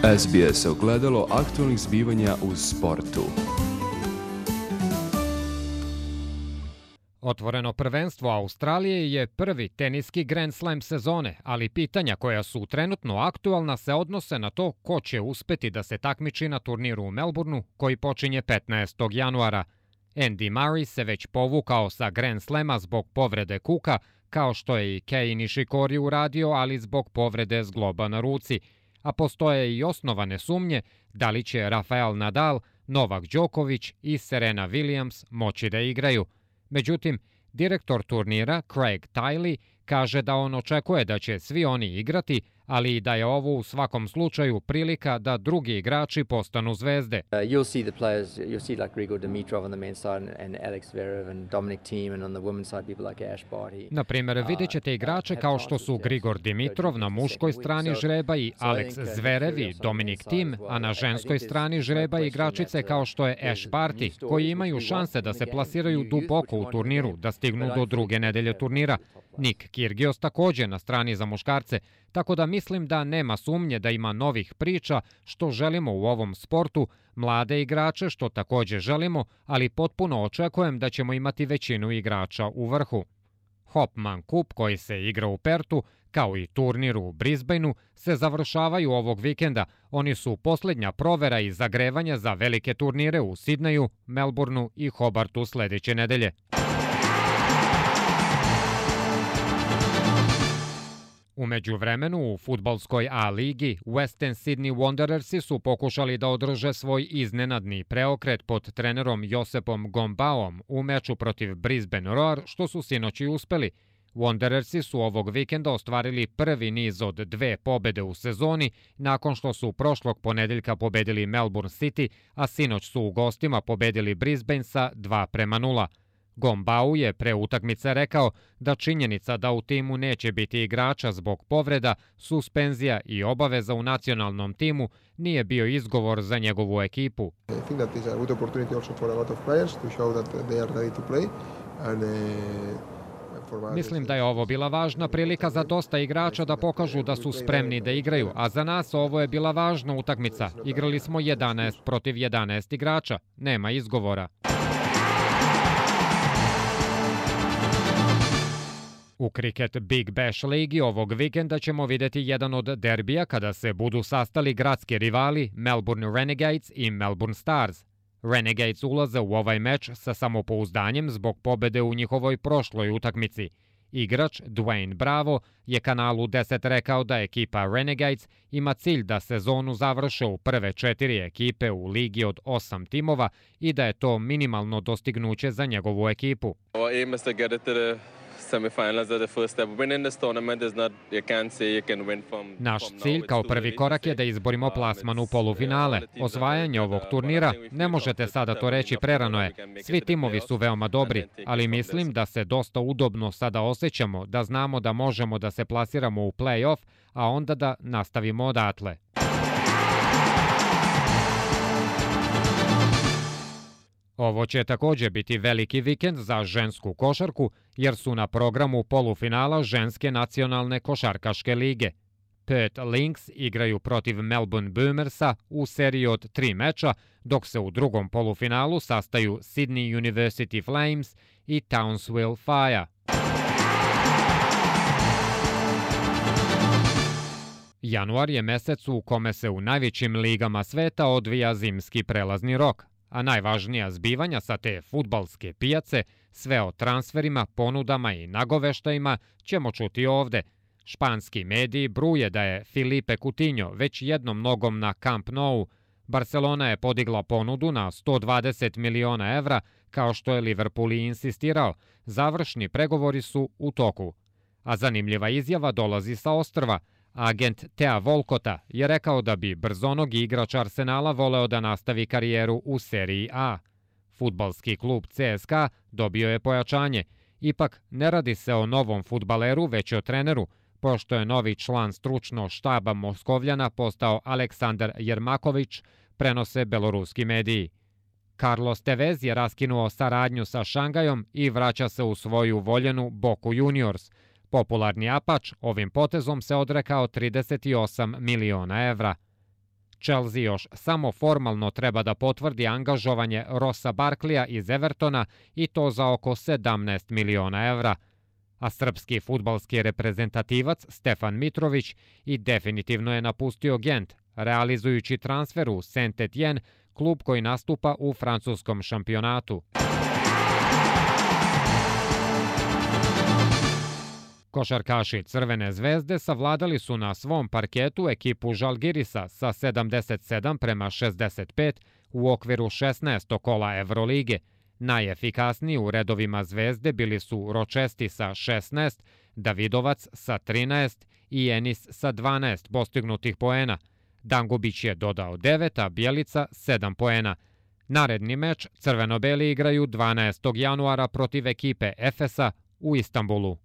SBS ogledalo aktualnih zbivanja u sportu. Otvoreno prvenstvo Australije je prvi teniski Grand Slam sezone, ali pitanja koja su trenutno aktualna se odnose na to ko će uspeti da se takmiči na turniru u Melbourneu koji počinje 15. januara. Andy Murray se već povukao sa Grand Slama zbog povrede kuka, kao što je i Kei Nishikori uradio, ali zbog povrede zgloba na ruci. A postoje i osnovane sumnje da li će Rafael Nadal, Novak Đoković i Serena Williams moći da igraju. Međutim, direktor turnira Craig Tiley kaže da on očekuje da će svi oni igrati, ali i da je ovo u svakom slučaju prilika da drugi igrači postanu zvezde. You'll see the players, you'll see like Grigor Dimitrov on the men's side and Alex Zverev and Dominic Thiem, and on the women's side people like Ash Barty. Na primjer, vidjet ćete igrače kao što su Grigor Dimitrov na muškoj strani žreba i Alex Zverev i Dominic Thiem, a na ženskoj strani žreba igračice kao što je Ash Barty, koji imaju šanse da se plasiraju duboko u turniru, da stignu do druge nedelje turnira. Nick Kyrgios također na strani za muškarce, tako da mislim da nema sumnje da ima novih priča što želimo u ovom sportu, mlade igrače što također želimo, ali potpuno očekujem da ćemo imati većinu igrača u vrhu. Hopman Cup koji se igra u Pertu, kao i turnir u Brisbaneu, se završavaju ovog vikenda. Oni su posljednja provera i zagrevanja za velike turnire u Sidneju, Melbourneu i Hobartu sljedeće nedelje. U međuvremenu u fudbalskoj A ligi Western Sydney Wanderersi su pokušali da održe svoj iznenadni preokret pod trenerom Josepom Gombaom u meču protiv Brisbane Roar, što su sinoć i uspeli. Wanderersi su ovog vikenda ostvarili prvi niz od 2 pobede u sezoni nakon što su prošlog ponedeljka pobedili Melbourne City, a sinoć su u gostima pobedili Brisbane sa 2-0. Gombau je pre utakmice rekao da činjenica da u timu neće biti igrača zbog povreda, suspenzija i obaveza u nacionalnom timu nije bio izgovor za njegovu ekipu. Mislim da je ovo bila važna prilika za dosta igrača da pokažu da su spremni da igraju, a za nas ovo je bila važna utakmica. Igrali smo 11 protiv 11 igrača, nema izgovora. U kriket Big Bash ligi ovog vikenda ćemo vidjeti jedan od derbija kada se budu sastali gradski rivali Melbourne Renegades i Melbourne Stars. Renegades ulaze u ovaj meč sa samopouzdanjem zbog pobede u njihovoj prošloj utakmici. Igrač Dwayne Bravo je kanalu 10 rekao da ekipa Renegades ima cilj da sezonu završe u prve 4 ekipe u ligi od 8 timova i da je to minimalno dostignuće za njegovu ekipu. Naš cilj kao prvi korak je da izborimo plasman u polufinale. Osvajanje ovog turnira, ne možete sada to reći, prerano je. Svi timovi su veoma dobri, ali mislim da se dosta udobno sada osjećamo, da znamo da možemo da se plasiramo u play-off, a onda da nastavimo odatle. Ovo će također biti veliki vikend za žensku košarku, jer su na programu polufinala ženske nacionalne košarkaške lige. Perth Lynx igraju protiv Melbourne Boomersa u seriji od 3 meča, dok se u drugom polufinalu sastaju Sydney University Flames i Townsville Fire. Januar je mesec u kome se u najvećim ligama sveta odvija zimski prelazni rok, a najvažnija zbivanja sa te fudbalske pijace, sve o transferima, ponudama i nagoveštajima, ćemo čuti ovde. Španski mediji bruje da je Filipe Coutinho već jednom nogom na Camp Nou. Barcelona je podigla ponudu na 120 miliona evra, kao što je Liverpool i insistirao. Završni pregovori su u toku. A zanimljiva izjava dolazi sa ostrva. Agent Tea Volkota je rekao da bi brzonogi igrač Arsenala voleo da nastavi karijeru u seriji A. Fudbalski klub CSKA dobio je pojačanje. Ipak ne radi se o novom fudbaleru, već o treneru, pošto je novi član stručnog štaba Moskovljana postao Aleksandar Jermaković, prenose beloruski mediji. Carlos Tevez je raskinuo saradnju sa Šangajom i vraća se u svoju voljenu Boku Juniors. Popularni Apač ovim potezom se odrekao 38 miliona evra. Chelsea još samo formalno treba da potvrdi angažovanje Rossa Barkleya iz Evertona i to za oko 17 miliona evra. A srpski fudbalski reprezentativac Stefan Mitrović i definitivno je napustio Gent, realizujući transfer u Saint-Étienne, klub koji nastupa u francuskom šampionatu. Košarkaši Crvene zvezde savladali su na svom parketu ekipu Žalgirisa sa 77-65 u okviru 16. kola Evrolige. Najefikasniji u redovima Zvezde bili su Ročesti sa 16, Davidovac sa 13 i Enis sa 12 postignutih poena. Dangubić je dodao 9, a Bjelica 7 poena. Naredni meč crveno-beli igraju 12. januara protiv ekipe Efesa u Istanbulu.